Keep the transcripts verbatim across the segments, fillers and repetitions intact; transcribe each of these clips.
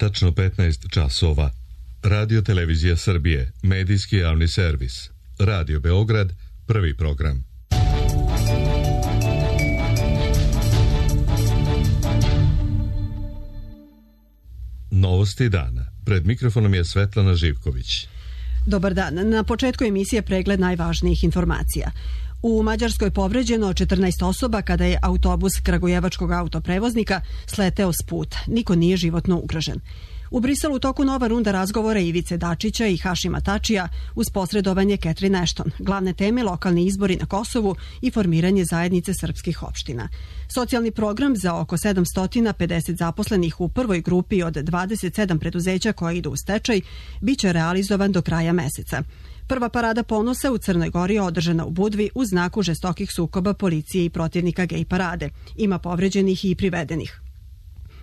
Tačno petnaest časova. Radio Televizija Srbije, medijski javni servis. Radio Beograd, prvi program. Novosti dana. Pred mikrofonom je Svetlana Živković. Dobar dan. Na početku emisije pregled najvažnijih informacija. U Mađarskoj povređeno četrnaest osoba kada je autobus kragujevačkog autoprevoznika sleteo s puta. Niko nije životno ugrožen. U Briselu u toku nova runda razgovora Ivice Dačića i Hašima Tačija uz posredovanje Catherine Ashton. Glavne teme lokalni izbori na Kosovu i formiranje zajednice srpskih opština. Socijalni program za oko sedamsto pedeset zaposlenih u prvoj grupi od dvadeset sedam preduzeća koja idu u stečaj biće realizovan do kraja meseca. Prva parada ponosa u Crnoj Gori je održana u Budvi u znaku žestokih sukoba policije i protivnika gej parade. Ima povređenih i privedenih.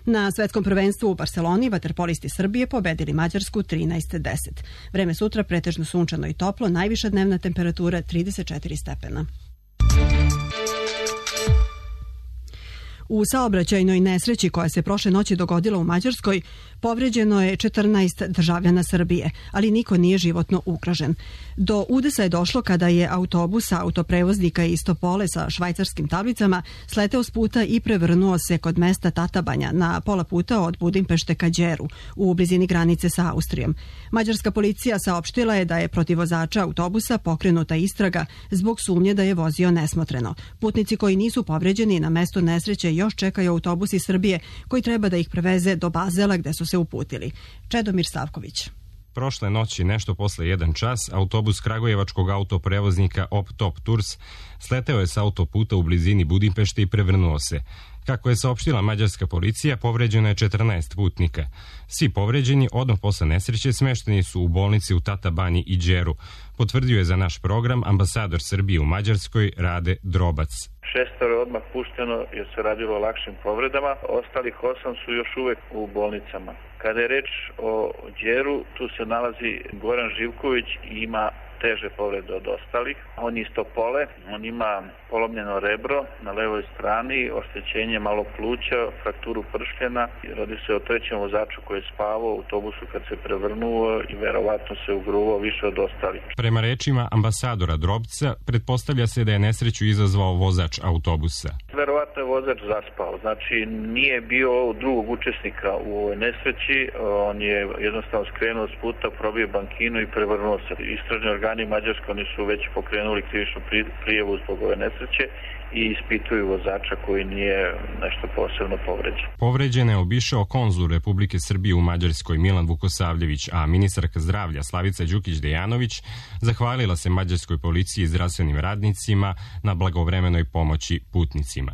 Na svetskom prvenstvu u Barseloni vaterpolisti Srbije pobedili Mađarsku trinaest deset. Vreme sutra pretežno sunčano i toplo, najviša dnevna temperatura trideset četiri stepena. U saobraćajnoj nesreći koja se prošle noći dogodila u Mađarskoj povređeno je četrnaest državljana Srbije, ali niko nije životno ugrožen. Do udesa je došlo kada je autobus autoprevoznika iz Topole sa švajcarskim tablicama sleteo s puta i prevrnuo se kod mesta Tatabanja na pola puta od Budimpešte ka Đeru u blizini granice sa Austrijom. Mađarska policija saopštila je da je protiv vozača autobusa pokrenuta istraga zbog sumnje da je vozio nesmotreno. Putnici koji nisu povređeni na mestu nesreće još čekaju autobus iz Srbije koji treba da ih preveze do Bazela gde su se uputili. Čedomir Savković. Prošle noći, nešto posle jedan čas, autobus kragujevačkog autoprevoznika Optop Tours sleteo je sa autoputa u blizini Budimpešte i prevrnuo se. Kako je saopštila mađarska policija, povređeno je četrnaest putnika. Svi povređeni odmah posle nesreće smešteni su u bolnici u Tatabanji i Đeru, potvrdio je za naš program ambasador Srbije u Mađarskoj Rade Drobac. Šestoro je odmah pušteno jer se radilo o lakšim povredama, ostalih osam su još uvek u bolnicama. Kada je reč o Đeru, tu se nalazi Goran Živković i ima teže povrede od ostalih. On je iz Topole, on ima polomljeno rebro na levoj strani, oštećenje malo pluća, frakturu pršljena. Radi se o trećem vozaču koji je spavao u autobusu kad se prevrnuo i verovatno se ugruvao više od ostalih. Prema rečima ambasadora Drobca, pretpostavlja se da je nesreću izazvao vozač autobusa. Verovatno je vozač zaspao, znači nije bio drugog učesnika u ovoj nesreći, on je jednostavno skrenuo s puta, probio bankinu i prevrnuo se. Istražni organi Mađarske, oni su već pokrenuli krivičnu prijavu zbog ove nesreće i ispituju vozača koji nije nešto posebno povređen. Povređene je obišao konzul Republike Srbije u Mađarskoj Milan Vukosavljević, a ministarka zdravlja Slavica Đukić-Dejanović zahvalila se mađarskoj policiji i zdravstvenim radnicima na blagovremenoj pomoći putnicima.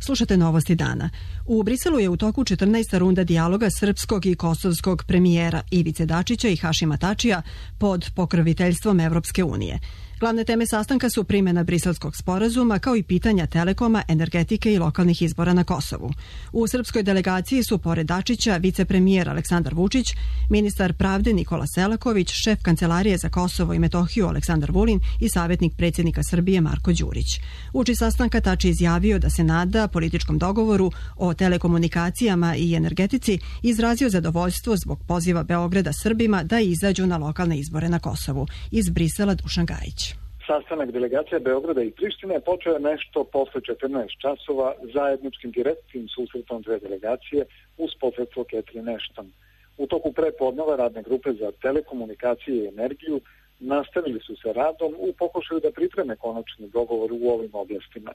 Slušate novosti dana. U Briselu je u toku četrnaesta runda dijaloga srpskog i kosovskog premijera Ivice Dačića i Hašima Tačija pod pokroviteljstvom Evropske unije. Glavne teme sastanka su primjena briselskog sporazuma kao i pitanja telekoma, energetike i lokalnih izbora na Kosovu. U srpskoj delegaciji su pored Dačića vicepremijer Aleksandar Vučić, ministar pravde Nikola Selaković, šef Kancelarije za Kosovo i Metohiju Aleksandar Vulin i savjetnik predsjednika Srbije Marko Đurić. Uoči sastanka Tači izjavio da se nada političkom dogovoru o telekomunikacijama i energetici i izrazio zadovoljstvo zbog poziva Beograda Srbima da izađu na lokalne izbore na Kosovu. Iz Brisela Dušan Gajić. Sastanak delegacija Beograda i Prištine počeo je nešto posle četrnaest časova zajedničkim direktnim susretom dve delegacije uz posredstvo Catherine Ashton. U toku prepodneva radne grupe za telekomunikacije i energiju nastavili su se radom u pokušaju da pripreme konačni dogovor u ovim oblastima.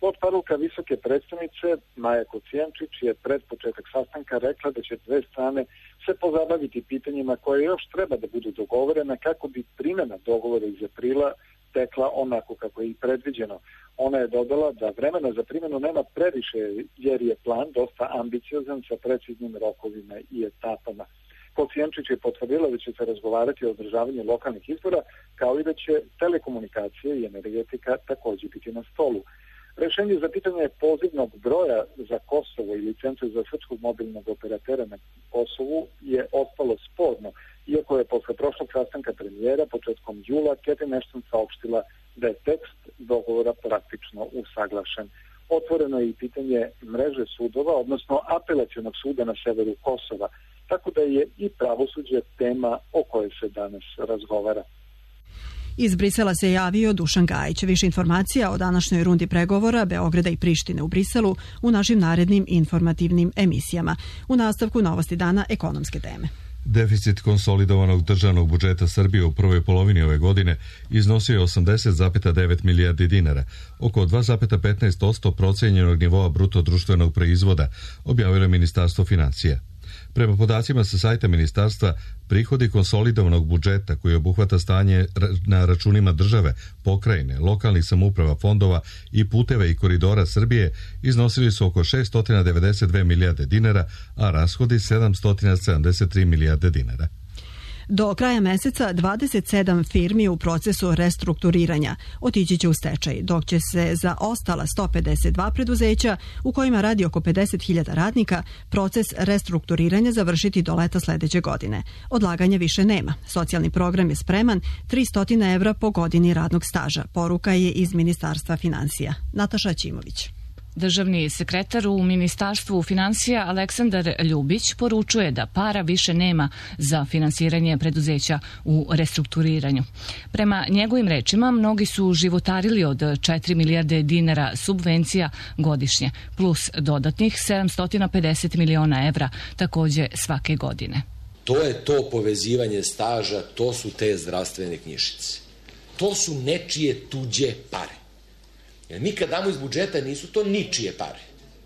Potparuka visoke predstavnice Maja Kocijančić je pred početak sastanka rekla da će dve strane se pozabaviti pitanjima koje još treba da budu dogovorena kako bi primjena dogovora iz aprila tekla onako kako je i predviđeno. Ona je dodala da vremena za primjenu nema previše jer je plan dosta ambiciozan sa preciznim rokovima i etapama. Kocijančić je potvrdila da će se razgovarati o održavanju lokalnih izbora kao i da će telekomunikacije i energetika također biti na stolu. Rešenje za pitanje pozivnog broja za Kosovo i licence za srpskog mobilnog operatera na Kosovu je ostalo sporno, iako je posle prošlog sastanka premijera početkom jula Catherine Ashton saopštila da je tekst dogovora praktično usaglašen. Otvoreno je i pitanje mreže sudova, odnosno apelacionog suda na severu Kosova. tako da je i pravosuđe tema o kojoj se danas razgovara. Iz Brisela se javio Dušan Gajić. Više informacija o današnjoj rundi pregovora Beograda i Prištine u Briselu u našim narednim informativnim emisijama. U nastavku novosti dana ekonomske teme. Deficit konsolidovanog državnog budžeta Srbije u prvoj polovini ove godine iznosio je osamdeset zarez devet milijardi dinara, oko dva zarez petnaest posto procenjenog nivoa bruto društvenog proizvoda, objavilo je Ministarstvo finansija. Prema podacima sa sajta ministarstva, prihodi konsolidovanog budžeta koji obuhvata stanje na računima države, pokrajine, lokalnih samouprava, fondova i puteve i koridora Srbije iznosili su oko šesto devedeset dve milijarde dinara, a rashodi sedamsto sedamdeset tri milijarde dinara. Do kraja meseca dvadeset sedam firmi u procesu restrukturiranja otići će u stečaj, dok će se za ostala sto pedeset dva preduzeća u kojima radi oko pedeset hiljada radnika proces restrukturiranja završiti do leta sledeće godine. Odlaganja više nema. Socijalni program je spreman, tristo evra po godini radnog staža. Poruka je iz Ministarstva finansija. Nataša Ćimović. Državni sekretar u Ministarstvu finansija Aleksandar Ljubić poručuje da para više nema za finansiranje preduzeća u restrukturiranju. Prema njegovim rečima, mnogi su životarili od četiri milijarde dinara subvencija godišnje, plus dodatnih sedamsto pedeset miliona evra takođe svake godine. To je to povezivanje staža, to su te zdravstvene knjižice. To su nečije tuđe pare. Jer mi kad damo iz budžeta nisu to ničije pare.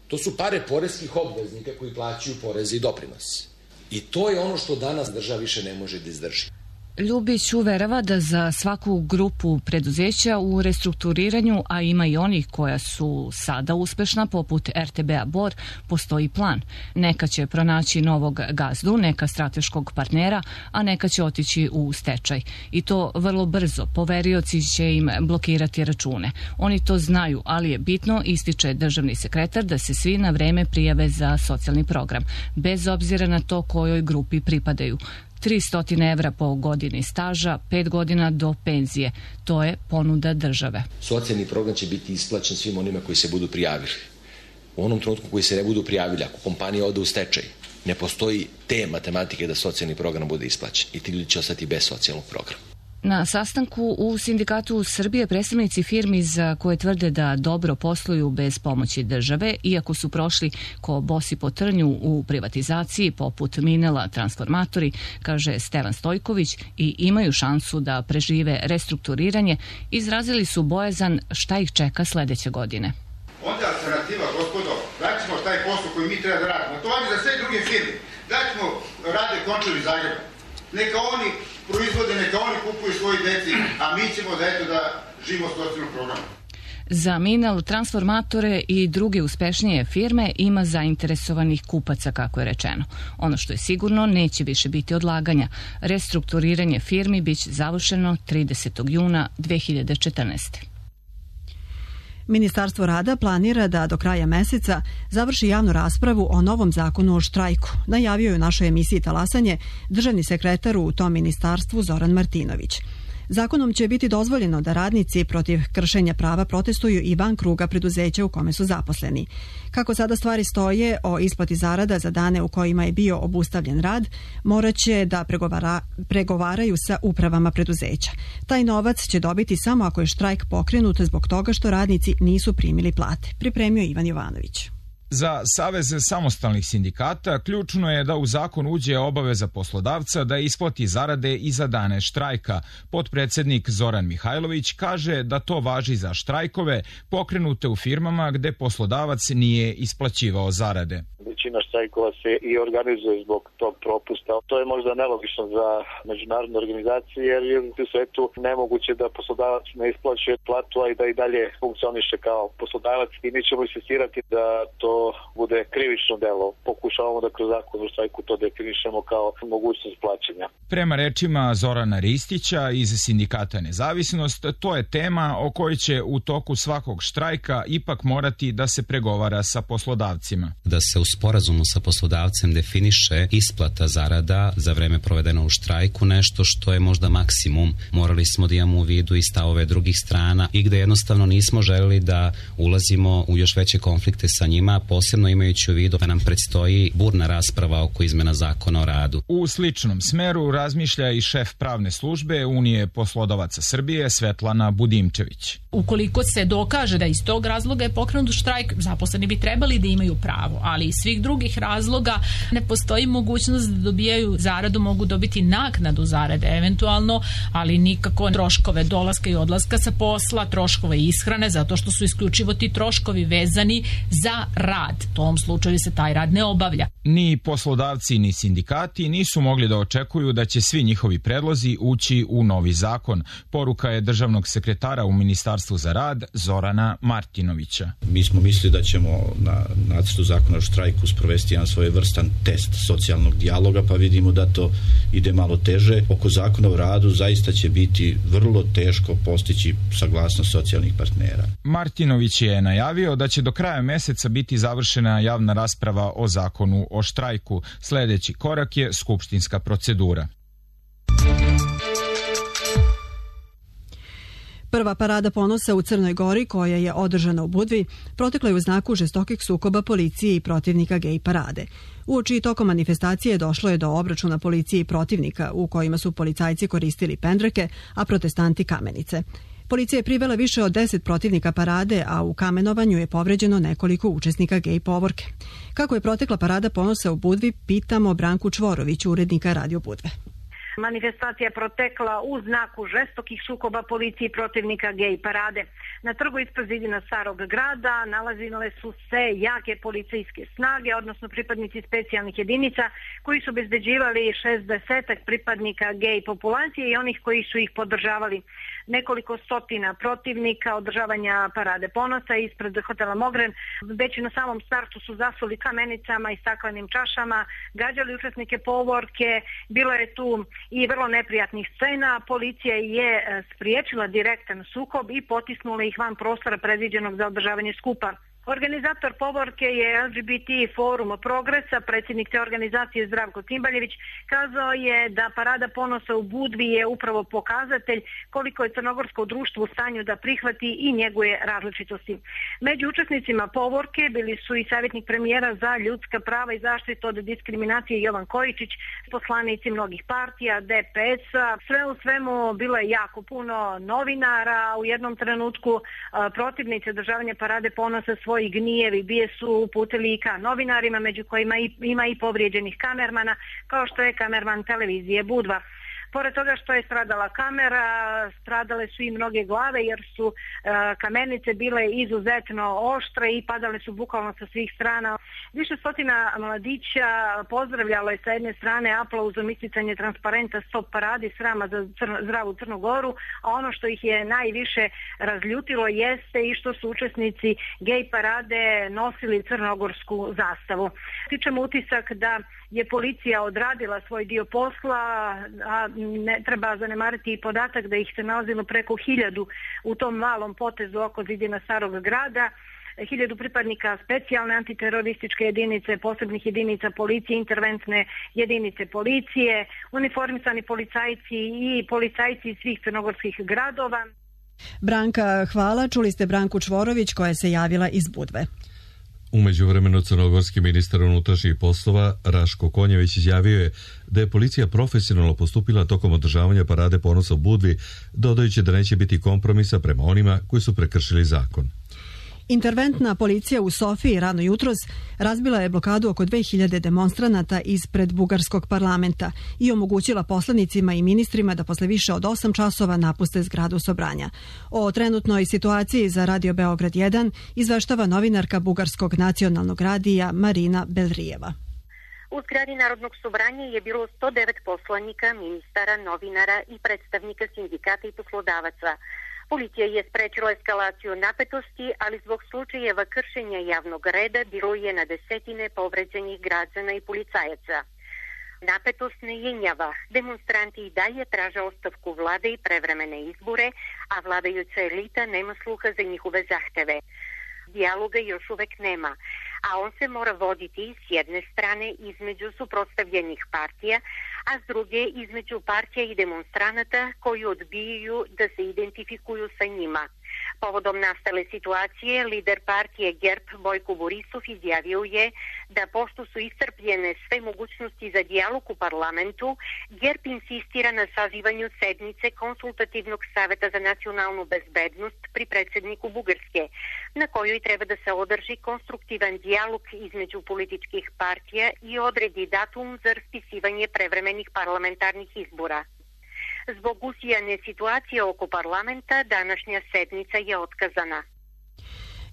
To su pare poreskih obveznika koji plaćaju poreze i doprinose. I to je ono što danas država više ne može da izdrži. Ljubić uverava da za svaku grupu preduzeća u restrukturiranju, a ima i onih koja su sada uspešna, poput er te be a Bor, postoji plan. Neka će pronaći novog gazdu, neka strateškog partnera, a neka će otići u stečaj. I to vrlo brzo. Poverioci će im blokirati račune. Oni to znaju, ali je bitno, ističe državni sekretar, da se svi na vreme prijave za socijalni program, bez obzira na to kojoj grupi pripadaju. tristo evra po godini staža, pet godina do penzije. To je ponuda države. Socijalni program će biti isplaćen svim onima koji se budu prijavili. U onom trenutku koji se ne budu prijavili, ako kompanija ode u stečaj, ne postoji te matematike da socijalni program bude isplaćen i ti ljudi će ostati bez socijalnog programa. Na sastanku u Sindikatu Srbije predstavnici firmi za koje tvrde da dobro posluju bez pomoći države, iako su prošli ko bosi po trnju u privatizaciji poput Minela, Transformatori, kaže Stevan Stojković, i imaju šansu da prežive restrukturiranje, izrazili su bojazan šta ih čeka sledeće godine. Onda alternativa, gospodo, daćemo taj posao koji mi treba da radimo. To vam je za sve druge firme. Daćemo Rade Končar iz Zagreba. Neka oni proizvode, neka oni kupuju svoji deci, a mi ćemo da eto da živimo socijalnog programa. Za Minel, Transformatore i druge uspešnije firme ima zainteresovanih kupaca, kako je rečeno. Ono što je sigurno, neće više biti odlaganja. Restrukturiranje firmi biće završeno tridesetog juna dve hiljade četrnaeste. Ministarstvo rada planira da do kraja meseca završi javnu raspravu o novom zakonu o štrajku. Najavio je u našoj emisiji Talasanje državni sekretar u tom ministarstvu Zoran Martinović. Zakonom će biti dozvoljeno da radnici protiv kršenja prava protestuju i van kruga preduzeća u kome su zaposleni. Kako sada stvari stoje o isplati zarada za dane u kojima je bio obustavljen rad, morat će da pregovara, pregovaraju sa upravama preduzeća. Taj novac će dobiti samo ako je štrajk pokrenut zbog toga što radnici nisu primili plate, pripremio Ivan Jovanović. Za Savez samostalnih sindikata ključno je da u zakon uđe obaveza poslodavca da isplati zarade i za dane štrajka. Potpredsednik Zoran Mihajlović kaže da to važi za štrajkove pokrenute u firmama gde poslodavac nije isplaćivao zarade. Većina štrajkova se i organizuje zbog tog propusta. To je možda nelogično za međunarodne organizacije jer je u svetu nemoguće da poslodavac ne isplaćuje platu, a i da i dalje funkcioniše kao poslodavac i mi ćemo insistirati da to bude krivično delo. Pokušavamo da kroz zakon o štrajku to definišemo kao mogućnost plaćanja. Prema rečima Zorana Ristića iz Sindikata Nezavisnost, to je tema o kojoj će u toku svakog štrajka ipak morati da se pregovara sa poslodavcima. Da se u sporazumu sa poslodavcem definiše isplata zarada za vreme provedeno u štrajku, nešto što je možda maksimum. Morali smo da imamo u vidu i stavove drugih strana i gde jednostavno nismo želeli da ulazimo u još veće konflikte sa njima, posebno imajući u vidu da nam predstoji burna rasprava oko izmena zakona o radu. U sličnom smeru razmišlja i šef pravne službe Unije poslodavaca Srbije Svetlana Budimčević. Ukoliko se dokaže da iz tog razloga je pokrenut štrajk, zaposleni bi trebali da imaju pravo, ali iz svih drugih razloga ne postoji mogućnost da dobijaju zaradu, mogu dobiti naknadu zarade eventualno, ali nikako troškove dolaska i odlaska sa posla, troškove ishrane, zato što su isključivo ti troškovi vezani za rad. U tom slučaju se taj rad ne obavlja. Ni poslodavci ni sindikati nisu mogli da očekuju da će svi njihovi predlozi ući u novi zakon. Poruka je državnog sekretara u Ministarstvu za rad Zorana Martinovića. Mi smo mislili da ćemo na nacrtu zakona o štrajku sprovesti jedan svojevrstan test socijalnog dijaloga, pa vidimo da to ide malo teže. Oko zakona o radu zaista će biti vrlo teško postići saglasnost socijalnih partnera. Martinović je najavio da će do kraja meseca biti završena javna rasprava o zakonu o štrajku. Sljedeći korak je skupštinska procedura. Prva parada ponosa u Crnoj Gori, koja je održana u Budvi, protekla je u znaku žestokih sukoba policije i protivnika gej parade. Uoči tokom manifestacije došlo je do obračuna policije i protivnika, u kojima su policajci koristili pendreke, a protestanti kamenice. Policija je privela više od deset protivnika parade, a u kamenovanju je povređeno nekoliko učesnika gej povorke. Kako je protekla parada ponosa u Budvi, pitamo Branku Čvorović, urednika Radio Budve. Manifestacija je protekla u znaku žestokih sukoba policije i protivnika gej parade. Na trgu ispred zidina Starog grada nalazile su se jake policijske snage, odnosno pripadnici specijalnih jedinica koji su obezbeđivali šezdesetak pripadnika gej populacije i onih koji su ih podržavali. Nekoliko stotina protivnika održavanja parade ponosa ispred hotela Mogren već na samom startu su zasuli kamenicama i staklenim čašama, gađali učesnike povorke, bilo je tu i vrlo neprijatnih scena. Policija je spriječila direktan sukob i potisnula ih van prostora predviđenog za održavanje skupa. Organizator povorke je L G B T Forum Progresa, predsjednik te organizacije Zdravko Cimbaljević, kazao je da parada ponosa u Budvi je upravo pokazatelj koliko je crnogorsko društvo u stanju da prihvati i njeguje različitosti. Među učesnicima povorke bili su i savjetnik premijera za ljudska prava i zaštitu od diskriminacije Jovan Kojičić, poslanici mnogih partija, D P S-a. Sve u svemu bilo je jako puno novinara. U jednom trenutku protivnici održavanja parade ponosa svoj i gnjev i bije su uputili i ka novinarima, među kojima ima i povrijeđenih kamermana, kao što je kamerman televizije Budva. Pored toga što je stradala kamera, stradale su i mnoge glave jer su e, kamenice bile izuzetno oštre i padale su bukvalno sa svih strana. Više stotina mladića pozdravljalo je sa jedne strane aplauzom isticanje transparenta Stop paradi srama za crno, zdravu Crnu Goru, a ono što ih je najviše razljutilo jeste i što su učesnici gej parade nosili crnogorsku zastavu. Stičemo utisak da je policija odradila svoj dio posla, a ne treba zanemariti i podatak da ih se nalazilo preko hiljadu u tom malom potezu oko zidina Starog grada, hiljadu pripadnika specijalne antiterorističke jedinice, posebnih jedinica policije, interventne jedinice policije, uniformisani policajci i policajci iz svih crnogorskih gradova. Branka, hvala. Čuli ste Branku Čvorović koja se javila iz Budve. U međuvremenu crnogorski ministar unutrašnjih poslova Raško Konjević izjavio je da je policija profesionalno postupila tokom održavanja parade ponosa u Budvi, dodajući da neće biti kompromisa prema onima koji su prekršili zakon. Interventna policija u Sofiji rano jutros razbila je blokadu oko dve hiljade demonstranata ispred bugarskog parlamenta i omogućila poslanicima i ministrima da posle više od osam časova napuste zgradu Sobranja. O trenutnoj situaciji za Radio Beograd jedan izveštava novinarka Bugarskog nacionalnog radija Marina Belrijeva. U zgradi Narodnog sobranja je bilo sto devet poslanika, ministara, novinara i predstavnika sindikata i poslodavaca. Policija je sprečila eskalaciju napetosti, ali zbog slučajeva kršenja javnog reda bilo je na desetine povređenih građana i policajaca. Napetost ne jenjava. Demonstranti i dalje traže ostavku vlade i prevremene izbore, a vladajuća elita nema sluha za njihove zahteve. Dijaloga još uvek nema, a on se mora voditi s jedne strane između suprotstavljenih partija, a s druge između partija i demonstranata koji odbijaju da se identifikuju sa njima. Povodom nastale situacije, lider partije G E R P Bojko Borisov izjavio je da pošto su iscrpljene sve mogućnosti za dijalog u parlamentu, G E R P insistira na sazivanju sednice Konsultativnog saveta za nacionalnu bezbednost pri predsedniku Bugarske, na kojoj treba da se održi konstruktivan dijalog između političkih partija i odredi datum za raspisivanje prevremenih parlamentarnih izbora. Zbog usijane situacije oko parlamenta, današnja sednica je otkazana.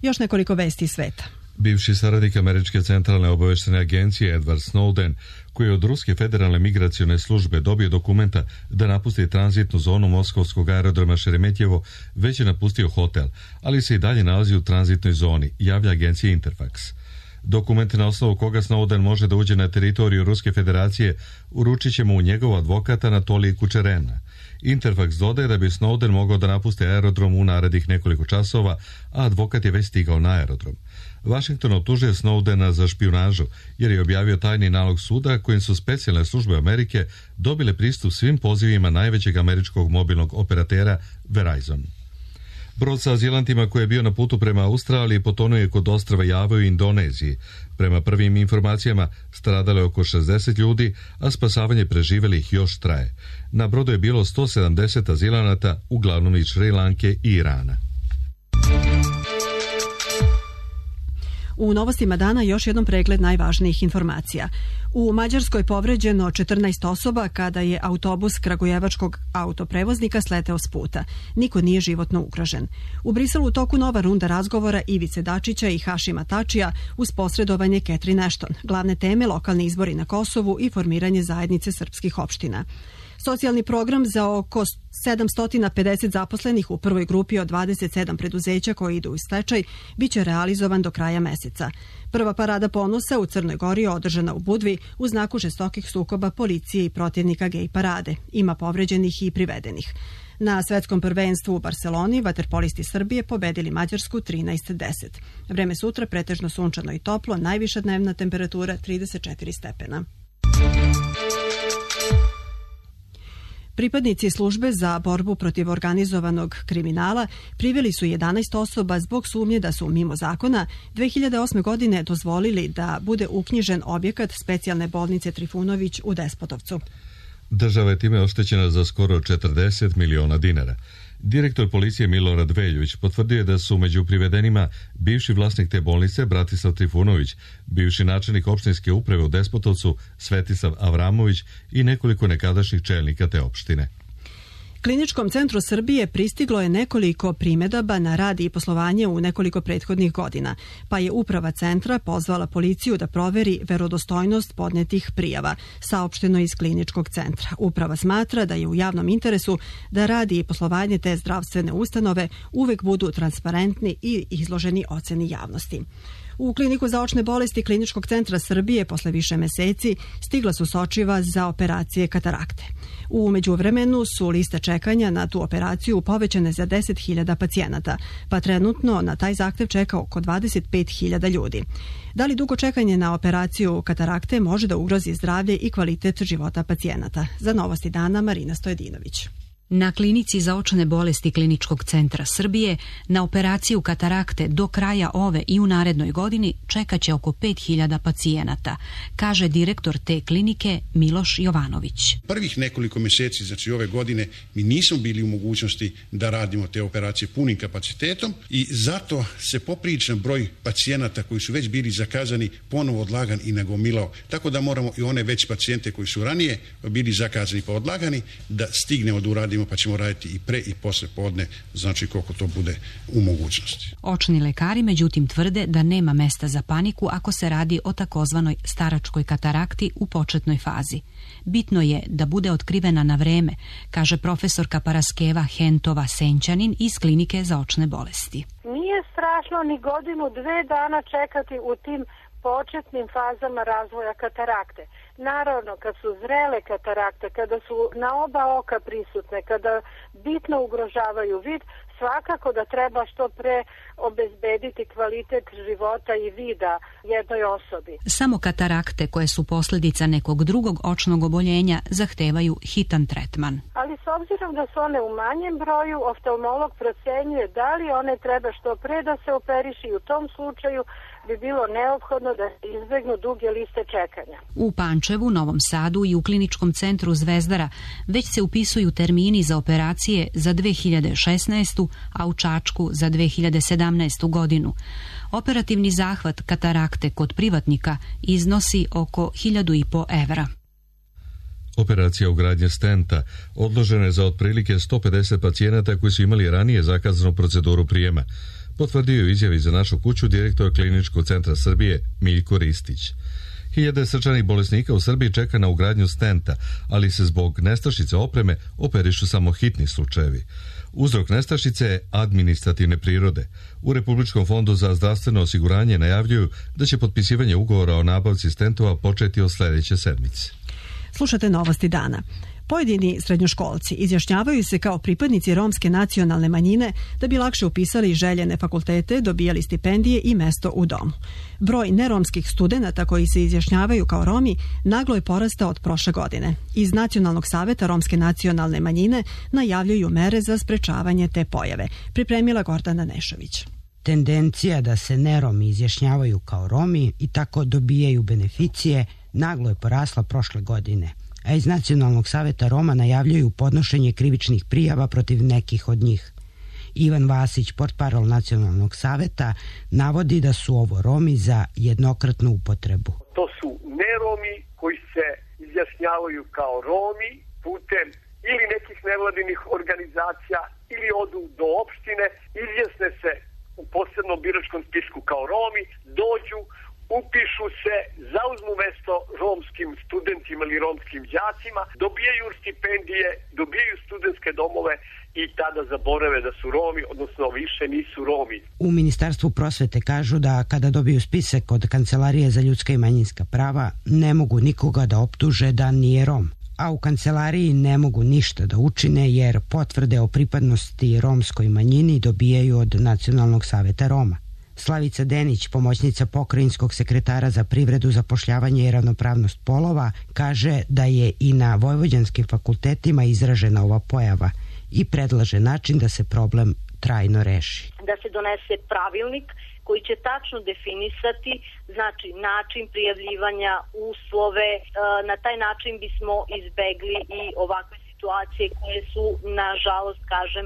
Još nekoliko vesti sveta. Bivši saradnik Američke centralne obaveštene agencije Edward Snowden, koji je od Ruske federalne migracione službe dobio dokumenta da napusti tranzitnu zonu moskovskog aerodroma Šeremetjevo, već je napustio hotel, ali se i dalje nalazi u tranzitnoj zoni, javlja agencija Interfax. Dokument na osnovu koga Snowden može da uđe na teritoriju Ruske federacije uručit će mu u njegov advokat Anatolij Kučerena. Interfax dodaje da bi Snowden mogao da napusti aerodrom u narednih nekoliko časova, a advokat je već stigao na aerodrom. Washington optužuje Snowdena za špijunažu jer je objavio tajni nalog suda kojim su specijalne službe Amerike dobile pristup svim pozivima najvećeg američkog mobilnog operatera Verizon. Brod sa azilantima koji je bio na putu prema Australiji potonuo je kod ostrva Java u Indoneziji. Prema prvim informacijama stradalo je oko šezdeset ljudi, a spasavanje preživelih još traje. Na brodu je bilo sto sedamdeset azilanata, uglavnom iz Šri Lanke i Irana. U novostima dana još jednom pregled najvažnijih informacija. U Mađarskoj povređeno četrnaest osoba kada je autobus kragujevačkog autoprevoznika sleteo s puta. Niko nije životno ugrožen. U Briselu u toku nova runda razgovora Ivice Dačića i Hašima Tačija uz posredovanje Catherine Ashton. Glavne teme lokalni izbori na Kosovu i formiranje zajednice srpskih opština. Socijalni program za oko sedamsto pedeset zaposlenih u prvoj grupi od dvadeset sedam preduzeća koji idu u stečaj biće realizovan do kraja meseca. Prva parada ponosa u Crnoj Gori je održana u Budvi u znaku žestokih sukoba policije i protivnika gej parade. Ima povređenih i privedenih. Na svetskom prvenstvu u Barseloni vaterpolisti Srbije pobedili Mađarsku trinaest deset. Vreme sutra pretežno sunčano i toplo, najviša dnevna temperatura trideset četiri stepena. Pripadnici službe za borbu protiv organizovanog kriminala priveli su jedanaest osoba zbog sumnje da su mimo zakona dve hiljade osme. godine dozvolili da bude uknjižen objekat specijalne bolnice Trifunović u Despotovcu. Država je time oštećena za skoro četrdeset miliona dinara. Direktor policije Milorad Veljović potvrdio je da su među privedenima bivši vlasnik te bolnice Bratislav Trifunović, bivši načelnik opštinske uprave u Despotovcu Svetislav Avramović i nekoliko nekadašnjih čelnika te opštine. Kliničkom centru Srbije pristiglo je nekoliko primedaba na rad i poslovanje u nekoliko prethodnih godina, pa je uprava centra pozvala policiju da proveri verodostojnost podnetih prijava, saopšteno iz kliničkog centra. Uprava smatra da je u javnom interesu da radi i poslovanje te zdravstvene ustanove uvek budu transparentni i izloženi oceni javnosti. U kliniku za očne bolesti Kliničkog centra Srbije posle više meseci stigla su sočiva za operacije katarakte. U međuvremenu su liste čekanja na tu operaciju povećane za deset hiljada pacijenata, pa trenutno na taj zahtev čeka oko dvadeset pet hiljada ljudi. Da li dugo čekanje na operaciju katarakte može da ugrozi zdravlje i kvalitet života pacijenata? Za Novosti dana Marina Stojedinović. Na klinici za očne bolesti Kliničkog centra Srbije na operaciju katarakte do kraja ove i u narednoj godini čekaće oko pet hiljada pacijenata, kaže direktor te klinike Miloš Jovanović. Prvih nekoliko mjeseci, znači ove godine, mi nismo bili u mogućnosti da radimo te operacije punim kapacitetom i zato se popriličan broj pacijenata koji su već bili zakazani ponovo odlagan i nagomilao. Tako da moramo i one već pacijente koji su ranije bili zakazani pa odlagani da stignemo da uradimo, pa ćemo raditi i pre i posle podne, znači koliko to bude u mogućnosti. Očni lekari međutim tvrde da nema mesta za paniku ako se radi o takozvanoj staračkoj katarakti u početnoj fazi. Bitno je da bude otkrivena na vreme, kaže profesorka Paraskeva Hentova Senčanin iz Klinike za očne bolesti. Nije strašno ni godinu, dve dana čekati u tim početnim fazama razvoja katarakte. Naravno, kad su zrele katarakte, kada su na oba oka prisutne, kada bitno ugrožavaju vid, svakako da treba što pre obezbediti kvalitet života i vida jednoj osobi. Samo katarakte koje su posljedica nekog drugog očnog oboljenja zahtevaju hitan tretman. Ali s obzirom da su one u manjem broju, oftalmolog procenjuje da li one treba što pre da se operiši i u tom slučaju bi bilo neophodno da se izbegnu duge liste čekanja. U Pančevu, Novom Sadu i u kliničkom centru Zvezdara već se upisuju termini za operacije za dve hiljade šesnaestu. a u Čačku za dve hiljade sedamnaestu. godinu. Operativni zahvat katarakte kod privatnika iznosi oko hiljadu i po evra. Operacija ugradnje stenta odložena je za otprilike sto pedeset pacijenata koji su imali ranije zakazanu proceduru prijema, potvrdio je izjavi za našu kuću direktor Kliničkog centra Srbije Miljko Ristić. Hiljade srčanih bolesnika u Srbiji čeka na ugradnju stenta, ali se zbog nestašice opreme operišu samo hitni slučajevi. Uzrok nestašice je administrativne prirode. U Republičkom fondu za zdravstveno osiguranje najavljuju da će potpisivanje ugovora o nabavci stentova početi od sljedeće sedmice. Slušate novosti dana. Pojedini srednjoškolci izjašnjavaju se kao pripadnici romske nacionalne manjine da bi lakše upisali željene fakultete, dobijali stipendije i mesto u domu. Broj neromskih studenata koji se izjašnjavaju kao Romi naglo je porastao od prošle godine. Iz Nacionalnog saveta romske nacionalne manjine najavljuju mere za sprečavanje te pojave. Pripremila Gordana Nešović. Tendencija da se neromi izjašnjavaju kao Romi i tako dobijaju beneficije naglo je porasla prošle godine, a iz Nacionalnog saveta Roma najavljuju podnošenje krivičnih prijava protiv nekih od njih. Ivan Vasić, portparol Nacionalnog saveta, navodi da su ovo Romi za jednokratnu upotrebu. To su neromi koji se izjašnjavaju kao Romi putem ili nekih nevladinih organizacija ili odu do opštine, izjasne se u posebnom biračkom spisku kao Romi, dođu, upišu se, zauzmu mesto romskim studentima ili romskim đacima, dobijaju stipendije, dobijaju studentske domove i tada zaborave da su Romi, odnosno više nisu Romi. U Ministarstvu prosvete kažu da kada dobiju spisak od Kancelarije za ljudska i manjinska prava, ne mogu nikoga da optuže da nije Rom. A u kancelariji ne mogu ništa da učine jer potvrde o pripadnosti romskoj manjini dobijaju od Nacionalnog saveta Roma. Slavica Denić, pomoćnica pokrajinskog sekretara za privredu, zapošljavanje i ravnopravnost polova, kaže da je i na vojvođanskim fakultetima izražena ova pojava i predlaže način da se problem trajno reši. Da se donese pravilnik koji će tačno definisati, znači način prijavljivanja, uslove, na taj način bismo izbegli i ovakve situacije koje su, nažalost, kažem,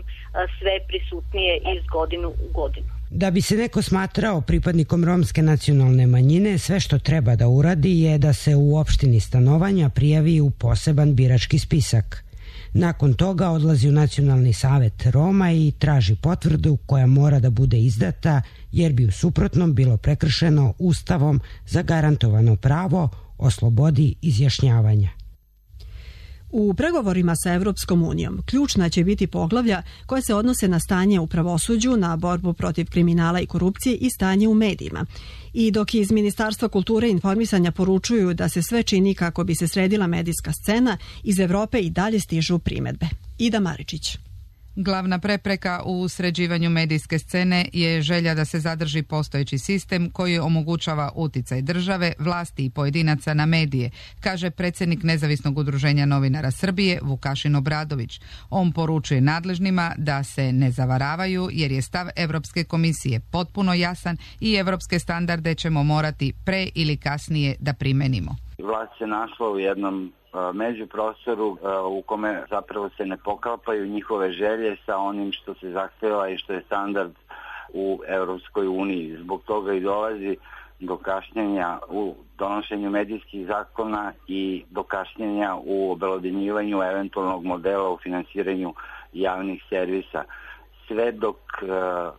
sve prisutnije iz godinu u godinu. Da bi se neko smatrao pripadnikom romske nacionalne manjine, sve što treba da uradi je da se u opštini stanovanja prijavi u poseban birački spisak. Nakon toga odlazi u Nacionalni savet Roma i traži potvrdu koja mora da bude izdata jer bi u suprotnom bilo prekršeno Ustavom zagarantovano pravo o slobodi izjašnjavanja. U pregovorima sa Evropskom unijom ključna će biti poglavlja koje se odnose na stanje u pravosuđu, na borbu protiv kriminala i korupcije i stanje u medijima. I dok iz Ministarstva kulture i informisanja poručuju da se sve čini kako bi se sredila medijska scena, iz Evrope i dalje stižu primedbe. Ida Maričić. Glavna prepreka u sređivanju medijske scene je želja da se zadrži postojeći sistem koji omogućava uticaj države, vlasti i pojedinaca na medije, kaže predsjednik Nezavisnog udruženja novinara Srbije Vukašin Obradović. On poručuje nadležnima da se ne zavaravaju jer je stav Evropske komisije potpuno jasan i evropske standarde ćemo morati pre ili kasnije da primenimo. Vlast se našla u jednom međuprostoru u kome zapravo se ne poklapaju njihove želje sa onim što se zahteva i što je standard u Europskoj uniji. Zbog toga i dolazi do kašnjenja u donošenju medijskih zakona i do kašnjenja u obelodanjivanju eventualnog modela u finansiranju javnih servisa. Sve dok uh,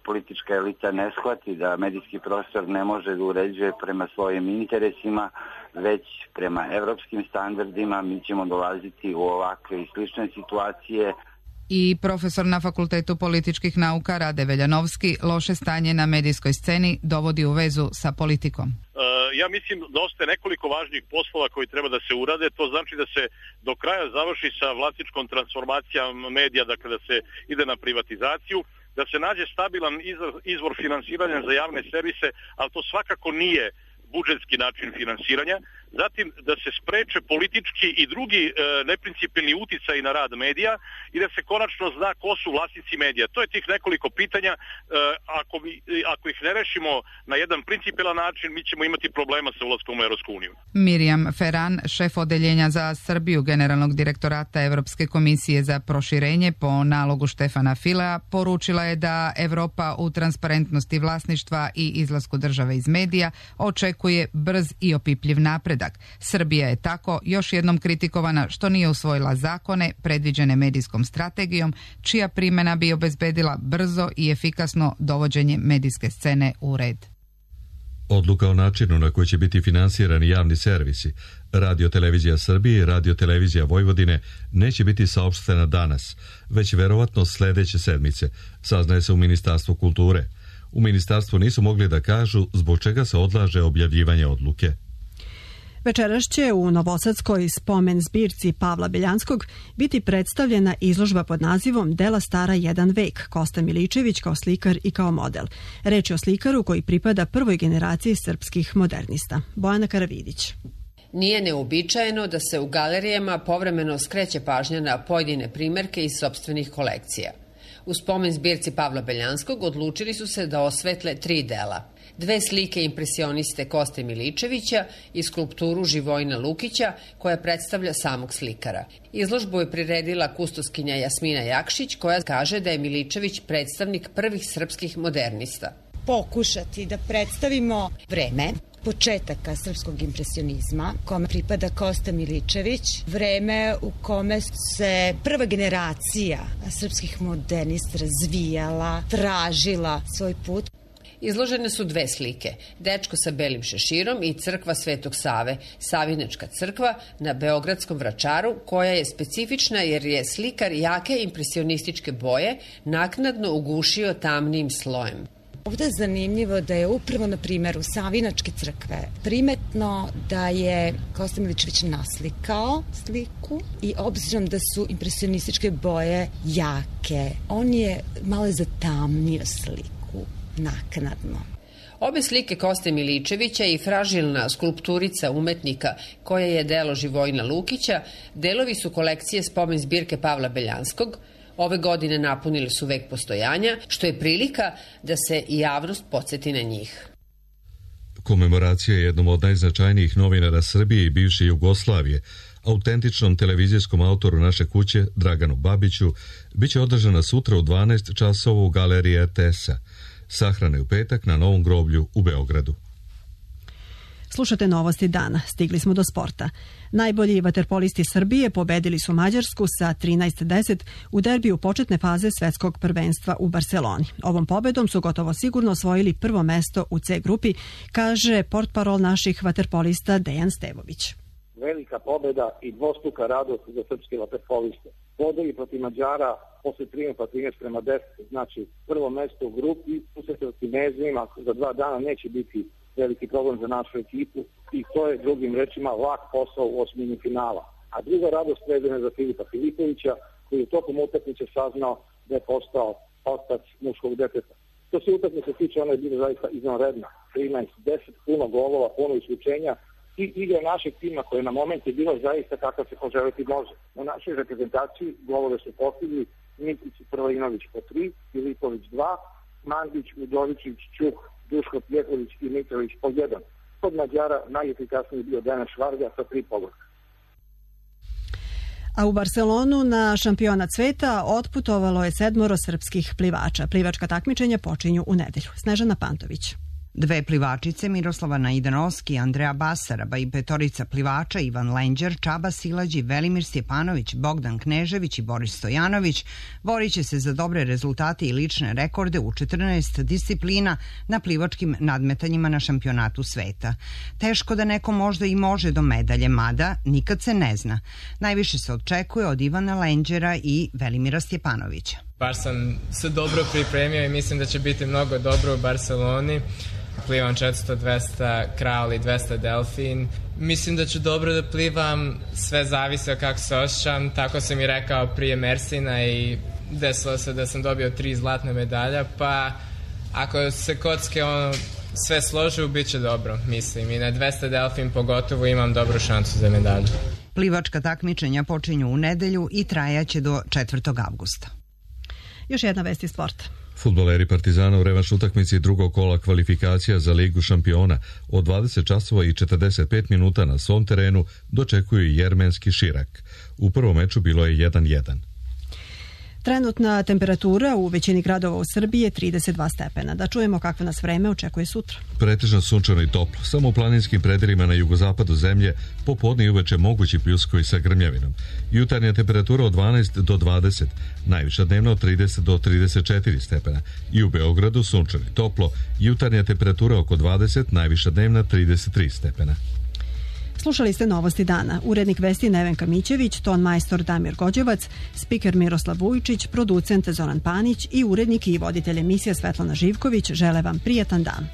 politička elita ne shvati da medijski prostor ne može da uređuje prema svojim interesima, već prema evropskim standardima, mi ćemo dolaziti u ovakve i slične situacije. I profesor na Fakultetu političkih nauka Rade Veljanovski loše stanje na medijskoj sceni dovodi u vezu sa politikom. Ja mislim da ostaje nekoliko važnih poslova koji treba da se urade. To znači da se do kraja završi sa vlasničkom transformacijom medija, dakle da se ide na privatizaciju. da se nađe stabilan izvor finansiranja za javne servise, ali to svakako nije budžetski način finansiranja. Zatim da se spreče politički i drugi e, neprincipijelni uticaj na rad medija i da se konačno zna ko su vlasnici medija. To je tih nekoliko pitanja. E, ako, mi, ako ih ne rešimo na jedan principijelan način, mi ćemo imati problema sa ulaskom u Evropsku uniju. Mirjam Ferran, šef odeljenja za Srbiju Generalnog direktorata Evropske komisije za proširenje po nalogu Štefana Filea, poručila je da Evropa u transparentnosti vlasništva i izlasku države iz medija očekuje brz i opipljiv napredak. Srbija je tako još jednom kritikovana što nije usvojila zakone predviđene medijskom strategijom, čija primjena bi obezbedila brzo i efikasno dovođenje medijske scene u red. Odluka o načinu na koji će biti finansirani javni servisi, Radio Televizija Srbije i Radio Televizija Vojvodine, neće biti saopštena danas, već verovatno sledeće sedmice, saznaje se u Ministarstvu kulture. U ministarstvu nisu mogli da kažu zbog čega se odlaže objavljivanje odluke. Večeras će u novosadskoj spomen zbirci Pavla Beljanskog biti predstavljena izložba pod nazivom Dela stara jedan vek, Kosta Miličević kao slikar i kao model. Reč je o slikaru koji pripada prvoj generaciji srpskih modernista. Bojana Karavidić. Nije neobičajeno da se u galerijama povremeno skreće pažnja na pojedine primerke iz sopstvenih kolekcija. U spomen zbirci Pavla Beljanskog odlučili su se da osvetle tri dela. Dve slike impresioniste Koste Miličevića i skulpturu Živojina Lukića koja predstavlja samog slikara. Izložbu je priredila kustoskinja Jasmina Jakšić koja kaže da je Miličević predstavnik prvih srpskih modernista. Pokušati da predstavimo vreme početaka srpskog impresionizma, kome pripada Kosta Miličević, vreme u kome se prva generacija srpskih modernista razvijala, tražila svoj put. Izložene su dve slike, dečko sa belim šeširom i crkva Svetog Save, Savinačka crkva na Beogradskom Vračaru, koja je specifična jer je slikar jake impresionističke boje naknadno ugušio tamnim slojem. Ovde je zanimljivo da je upravo na primjeru Savinačke crkve primetno da je Kosta Miličević naslikao sliku i obzirom da su impresionističke boje jake, on je malo zatamnio sliku naknadno. Obe slike Koste Miličevića i fražilna skulpturica umetnika koja je delo Živojina Lukića delovi su kolekcije spomen zbirke Pavla Beljanskog. Ove godine napunili su vek postojanja, što je prilika da se i javnost podsjeti na njih. Komemoracija je jednom od najznačajnijih novinara Srbije i bivše Jugoslavije, autentičnom televizijskom autoru naše kuće, Draganu Babiću, biće održana sutra u dvanaest časova u galeriji R T S-a. Sahrane u petak na Novom groblju u Beogradu. Slušate novosti dana. Stigli smo do sporta. Najbolji vaterpolisti Srbije pobedili su Mađarsku sa trinaest deset u derbiju početne faze svetskog prvenstva u Barseloni. Ovom pobedom su gotovo sigurno osvojili prvo mesto u C grupi, kaže portparol naših vaterpolista Dejan Stevović. Velika pobeda i dvostruka radost za srpske vaterpoliste. Bodovi protiv Mađara posle triumfa trinaest prema deset, znači prvo mesto u grupi, susret Kinezima za dva dana neće biti veliki problem za našu ekipu i to je drugim rečima lak posao u osmini finala. A druga radost vezana za Filipa Filipovića koji je tokom utakmice saznao da je postao otac muškog deteta. Što se utakmice tiče, ona je bila zaista izvanredna. trinaest deset, puno golova, puno isključenja i igra našeg tima koja na moment je bila zaista kakav se poželiti može. U našoj reprezentaciji golove su postigli Nikić i Prvojinović po tri, Filipović dva, Mandić, Udovičić, Čuk, Duško Pjeković i Mitrović po jedan. Kod Mađara najefikasniji bio Denis Švarga sa tri pogotka. A u Barcelonu na šampionat sveta otputovalo je sedmoro srpskih plivača. Plivačka takmičenja počinju u nedelju. Snežana Pantović. Dve plivačice, Miroslava Najdanoski, Andreja Basaraba i petorica plivača Ivan Lenđer, Čaba Silađi, Velimir Stjepanović, Bogdan Knežević i Boris Stojanović borit će se za dobre rezultate i lične rekorde u četrnaest disciplina na plivačkim nadmetanjima na šampionatu sveta. Teško da neko možda i može do medalje, mada nikad se ne zna. Najviše se očekuje od Ivana Lenđera i Velimira Stjepanovića. Baš sam se dobro pripremio i mislim da će biti mnogo dobro u Barceloni. Plivam četiristo dvesta kral i dvesta delfin. Mislim da ću dobro da plivam, sve zavisi od kako se osjećam. Tako sam i rekao prije Mersina i desilo se da sam dobio tri zlatne medalja, pa ako se kocke ono, sve složi, bit će dobro, mislim. I na dvesta delfin pogotovo imam dobru šansu za medalju. Plivačka takmičenja počinju u nedelju i trajaće do četvrtog avgusta. Još jedna vest iz sporta. Fudbaleri Partizana u revanš utakmici drugog kola kvalifikacija za Ligu šampiona od dvadeset časova i četrdeset pet minuta na svom terenu dočekuju jermenski Širak. U prvom meču bilo je jedan jedan. Trenutna temperatura u većini gradova u Srbiji je trideset dva stepena. Da čujemo kakvo nas vreme očekuje sutra. Pretežno sunčano i toplo. Samo u planinskim predelima na jugozapadu zemlje popodne i uveče mogući pljuskovi sa grmljavinom. Jutarnja temperatura od dvanaest do dvadeset, najviša dnevna od trideset do trideset četiri stepena. I u Beogradu sunčano i toplo. Jutarnja temperatura oko dvadeset, najviša dnevna trideset tri stepena. Slušali ste Novosti dana. Urednik vesti Nevenka Mićević, ton majstor Damir Gođevac, spiker Miroslav Vujičić, producent Zoran Panić i urednik i voditelj emisije Svetlana Živković žele vam prijatan dan.